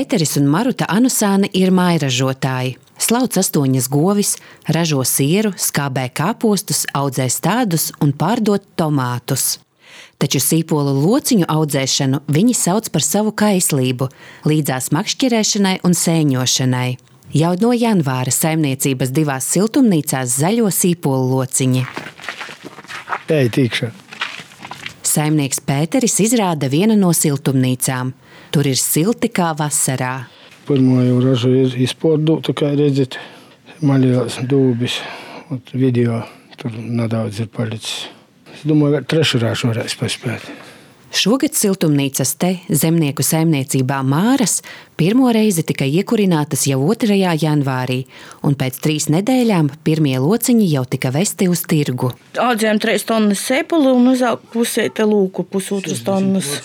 Pēteris un Maruta Anusāne ir mājražotāji. Slauc 8 govis, ražo sieru, skābē kāpostus, audzē stādus un pārdod tomātus. Taču sīpolu lociņu audzēšanu viņi sauc par savu kaislību, līdzās makšķerēšanai un sēņošanai. Jau no janvāra saimniecības 2 siltumnīcās zaļo sīpolu lociņi. Tei tīkšā. Saimnieks Pēteris izrāda vienu no siltumnīcām. Tur ir silti kā vasarā. Pirmo jau ražu ir izpārdota, kā redzat, maļās dūbis. Video tur nedaudz ir palicis. Es domāju, ka trešu ražu varēs paspēt. Šogad siltumnīcas te zemnieku saimniecībā Māras pirmo reizi tika iekurinātas jau 2. janvārī, un pēc 3 nedēļām pirmie lociņi jau tika vesti uz tirgu. Audzējām 3 tonnas sēpuli un uzaug pusēta lūku, 1,5 tonnas.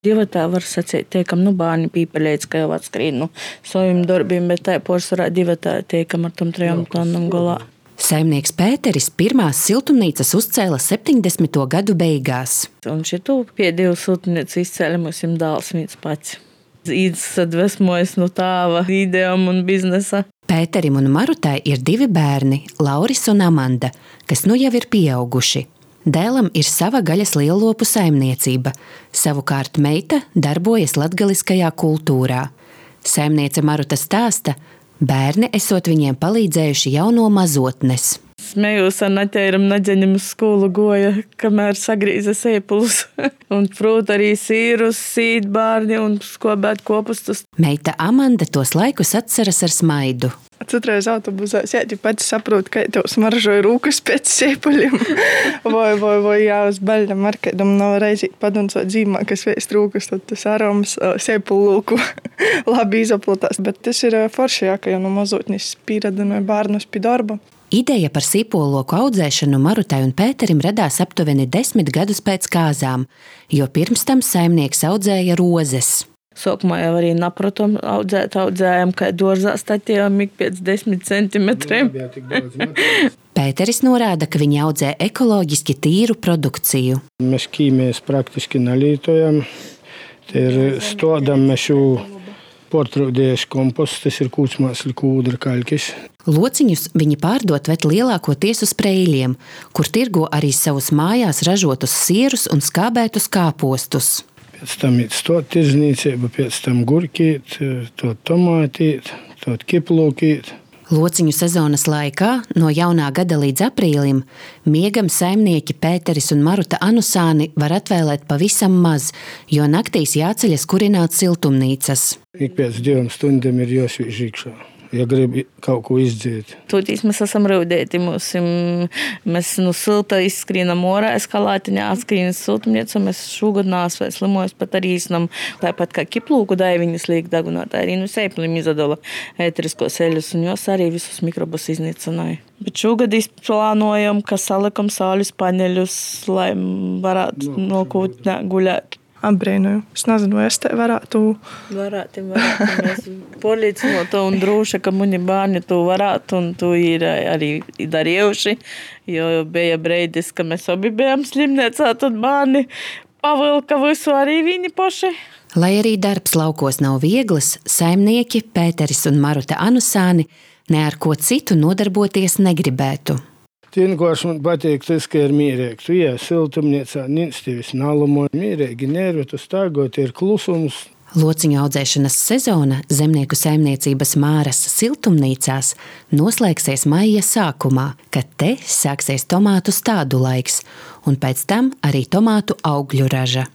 Divatā var sacīt, tiekam, bārni pīpeļēts, ka jau atskrīt saviem darbiem, bet tā porcelānā divatā tiekam ar tom 3 tonnam galā. Saimnieks Pēteris pirmās siltumnīcas uzcēla 70. gadu beigās. Un šitu pēdējo siltumnīcu izcēla mums dāls viens pats. Sadvesmojas no tāva idejām un biznesa. Pēterim un Marutai ir 2 bērni, Lauris un Amanda, kas nu jau ir pieauguši. Dēlam ir sava gaļas lielopu saimniecība, savukārt meita darbojas latgaliskajā kultūrā. Saimniece Maruta stāsta, bērni esot viņiem palīdzējuši jau no mazotnes. Smējos ar naķēram naģeņam uz skolu goja, kamēr sagrīza sēpulus. Un prūt arī sīrus, sīt bārni un skobēt kopustus. Meita Amanda tos laikus atceras ar smaidu. Citreiz autobusā sēdi pats saprot, ka tev smaržoja rūkas pēc sēpuļiem. vai jā, uz baļļam ar kādam nav reizīt paduncot dzīmā, kas vēst rūkas, tad tas aroms sēpulu lūku labi izaplatās. Bet tas ir forši, jā, ka jau no mazotnis pieradinoja bārnus pie darba. Ideja par sīpoloku audzēšanu Marutai un Pēterim radās aptuveni 10 gadus pēc kāzām, jo pirms tam saimnieks audzēja rozes. Sākumā jau arī napratom audzējām, kā dorzā statījām ik pēc 10 centimetriem. Pēteris norāda, ka viņi audzē ekoloģiski tīru produkciju. Mēs ķīmēs praktiski nalītojam. Te ir stodam mēs jau portrūdējuši komposts, tas ir kūtsmāsli, kūdra, kaļkis. Lociņus viņi pārdot vet lielākoties uz Preiļiem, kur tirgo arī savus mājās ražotus sierus un skābētus kāpostus. Pēc tam ir stot tirdzniecība, pēc tam gurkīt, tot tomātīt, tot kiplūkīt. Lociņu sezonas laikā, no jaunā gada līdz aprīlim, miegam saimnieki Pēteris un Maruta Anusāni var atvēlēt pavisam maz, jo naktīs jāceļas kurināt siltumnīcas. Ik pēc 2 stundām ir jāsvīž iekšā, ja grib kaut ko izdzēt. Tūtīs mēs esam raudēti. Mēs no silta izskrīnam orā, eskalātiņā atskrīnas siltumnīcu. Mēs šogad nāsvēs slimojas pat arī iznam. Tāpat kā kiplūku daiviņas liek dagunāt, arī no sēplim izadala ēteriskos eļus, un jos arī visus mikrobus iznīcināja. Bet šogad izplānojam, ka salikam saules paneļus, lai varētu nokūtnē guļēt. Apbrīnoju. Es nezinu, vai es te varētu. Varētu. Mēs polīcinot un drūši, ka muni bērni to varētu, un to ir arī darījuši, jo bija breidis, ka mēs abi bijām slimniecā, tad bērni pavilka visu arī viņi paši. Lai arī darbs laukos nav viegls, saimnieki Pēteris un Maruta Anusāni ne ar ko citu nodarboties negribētu. Vienkārši man patīk tas, ka ir mīrēgi. Tu ies siltumniecā, nīc tevis nalumo. Mīrēgi nervi, tu stāgot, ir klusums. Lociņu audzēšanas sezona zemnieku saimniecības Māras siltumnīcās noslēgsies maija sākumā, kad te sāksies tomātu stādu laiks, un pēc tam arī tomātu augļu raža.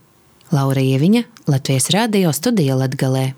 Laura Ieviņa, Latvijas radio studija Latgalē.